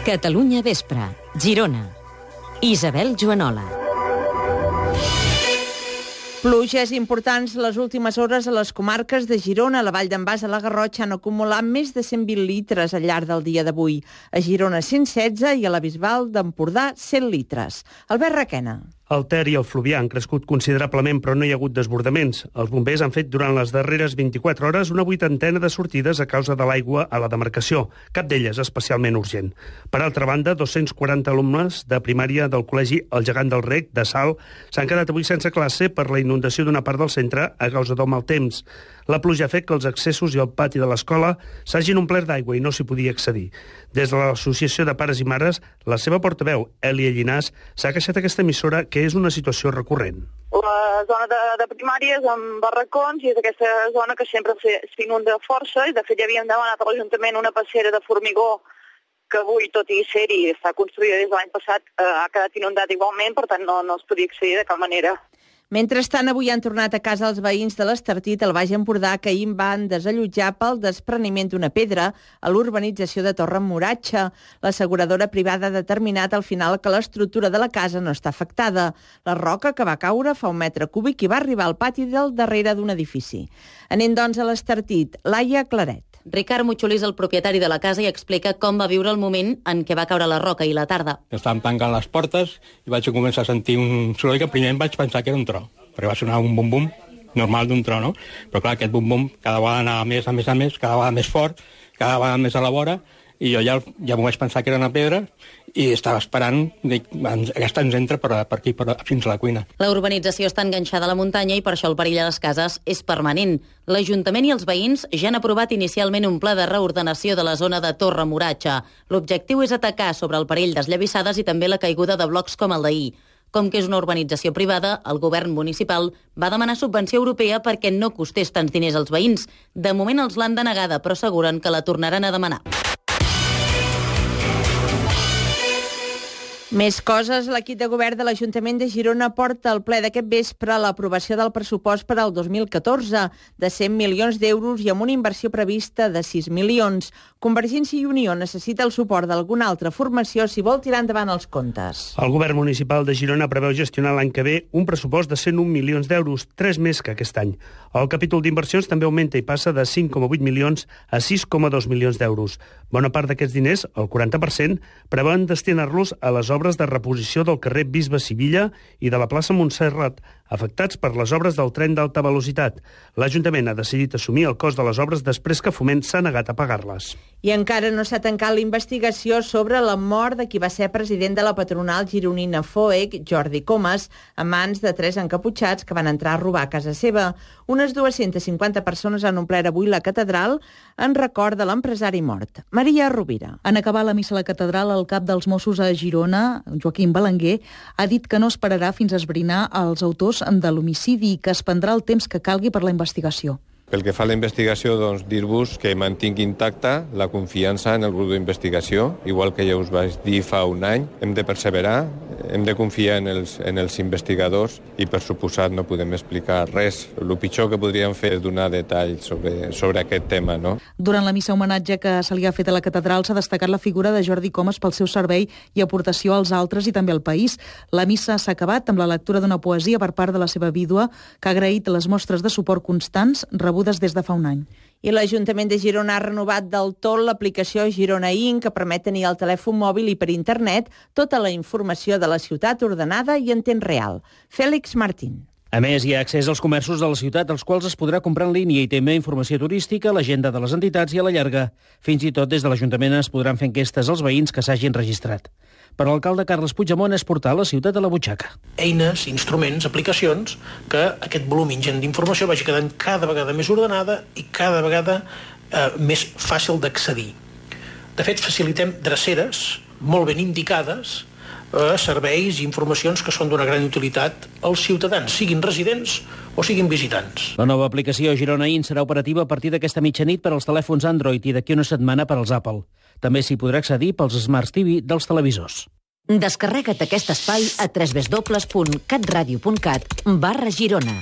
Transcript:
Catalunya Vespre, Girona. Isabel Joanola. Pluges importants les últimes hores a les comarques de Girona. La Vall d'en Bas a la Garrotxa han acumulat més de 120 litres al llarg del dia d'avui. A Girona 116 i a la Bisbal d'Empordà 100 litres. Albert Requena. El Ter i el Fluvià han crescut considerablement, però no hi ha hagut desbordaments. Els bombers han fet durant les darreres 24 hores una 80ena de sortides a causa de l'aigua a la demarcació, cap d'elles especialment urgent. Per altra banda, 240 alumnes de primària del col·legi El Gegant del Rec, de Salt, s'han quedat avui sense classe per la inundació d'una part del centre a causa del mal temps. La pluja ha fet que els accessos i el pati de l'escola s'hagin omplert d'aigua i no s'hi podia accedir. Des de l'Associació de Pares i Mares, la seva portaveu, Èlia Llinàs, s'ha queixat aquesta emissora que és una situació recurrent. La zona de primàries amb barracons i és aquesta zona que sempre s'inunda força i de fet ja havíem demanat a l'Ajuntament una passera de formigó que avui, tot i ser-hi, està construïda des de l'any passat, ha quedat inundat igualment, per tant no es podia accedir de cap manera. Mentrestant, avui han tornat a casa els veïns de l'Estartit al Baix Empordà que ahir van desallotjar pel despreniment d'una pedra a l'urbanització de Torre Moratxa. L'asseguradora privada ha determinat al final que l'estructura de la casa no està afectada. La roca que va caure fa 1 metre cúbic i va arribar al pati del darrere d'un edifici. Anem, doncs, a l'Estartit. Laia Claret. Ricard Muchulí és el propietari de la casa i explica com va viure el moment en què va caure la roca i la tarda. Estàvem tancant les portes i vaig començar a sentir un soroll que primer em vaig pensar que era un tro, perquè va sonar un bum-bum normal d'un tro, no? Però clar, aquest bum-bum cada vegada anava més, cada vegada més fort, cada vegada més a la vora, i jo ja m'ho vaig pensar que era una pedra i estava esperant, dic, aquesta ens entra per aquí, fins a la cuina. La urbanització està enganxada a la muntanya i per això el perill a les cases és permanent. L'Ajuntament i els veïns ja han aprovat inicialment un pla de reordenació de la zona de Torre Moratxa. L'objectiu és atacar sobre el perill d'esllavissades i també la caiguda de blocs com el d'ahir. Com que és una urbanització privada, el govern municipal va demanar subvenció europea perquè no costés tants diners als veïns. De moment els l'han denegada, però asseguren que la tornaran a demanar. Més coses. L'equip de govern de l'Ajuntament de Girona porta al ple d'aquest vespre l'aprovació del pressupost per al 2014 de 100 milions d'euros i amb una inversió prevista de 6 milions. Convergència i Unió necessita el suport d'alguna altra formació si vol tirar endavant els comptes. El govern municipal de Girona preveu gestionar l'any que ve un pressupost de 101 milions d'euros, 3 més que aquest any. El capítol d'inversions també augmenta i passa de 5,8 milions a 6,2 milions d'euros. Bona part d'aquests diners, el 40%, preveuen destinar-los a les obres de reposició del carrer Bisbe Sivilla i de la plaça Montserrat, afectats per les obres del tren d'alta velocitat. L'Ajuntament ha decidit assumir el cost de les obres després que Foment s'ha negat a pagar-les. I encara no s'ha tancat la investigació sobre la mort de qui va ser president de la patronal gironina FOEC, Jordi Comas, a mans de 3 encaputxats que van entrar a robar a casa seva. Unes 250 persones han omplert avui la catedral en record de l'empresari mort. Maria Rovira. En acabar la missa a la catedral, el cap dels Mossos a Girona, Joaquim Belenguer, ha dit que no esperarà fins a esbrinar els autors de l'homicidi i que es prendrà el temps que calgui per la investigació. Pel que fa a la investigació, doncs, dir-vos que mantingui intacta la confiança en el grup d'investigació, igual que ja us vaig dir fa un any. Hem de perseverar, hem de confiar en els investigadors i, per suposat, no podem explicar res. El pitjor que podríem fer és donar detalls sobre aquest tema, no? Durant la missa homenatge que se li ha fet a la catedral s'ha destacat la figura de Jordi Comas pel seu servei i aportació als altres i també al país. La missa s'ha acabat amb la lectura d'una poesia per part de la seva vídua, que ha agraït les mostres de suport constants rebudes des de fa un any. I l'Ajuntament de Girona ha renovat del tot l'aplicació Girona In, que permet tenir al telèfon mòbil i per internet tota la informació de la ciutat ordenada i en temps real. Fèlix Martín. A més, hi ha accés als comerços de la ciutat, als quals es podrà comprar en línia i també informació turística, l'agenda de les entitats i a la llarga. Fins i tot des de l'Ajuntament es podran fer enquestes als veïns que s'hagin registrat. Per l'alcalde Carles Puigdemont és portar la ciutat a la butxaca. Eines, instruments, aplicacions, que aquest volum ingent d'informació vagi quedant cada vegada més ordenada i cada vegada més fàcil d'accedir. De fet, facilitem dreceres molt ben indicades serveis i informacions que són d'una gran utilitat als ciutadans, siguin residents o siguin visitants. La nova aplicació Girona In serà operativa a partir d'aquesta mitjanit per als telèfons Android i d'aquí una setmana per als Apple. També s'hi podrà accedir pels Smart TV dels televisors. Descarrega't aquest espai a www.catradio.cat/Girona.